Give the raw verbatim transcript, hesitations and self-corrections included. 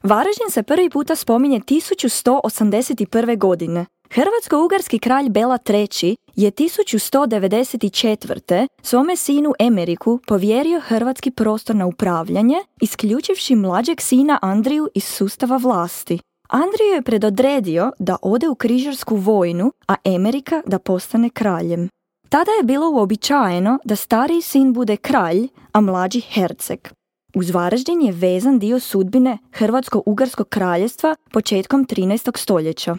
Varaždin se prvi puta spominje tisuću sto osamdeset prve. godine. Hrvatsko-ugarski kralj Bela treći je tisuću sto devedeset četvrte. svome sinu Emeriku povjerio hrvatski prostor na upravljanje, isključivši mlađeg sina Andriju iz sustava vlasti. Andriju je predodredio da ode u križarsku vojnu, a Emerika da postane kraljem. Tada je bilo uobičajeno da stariji sin bude kralj, a mlađi herceg. Uz Varaždin je vezan dio sudbine Hrvatsko-ugarskog kraljevstva početkom trinaestog stoljeća.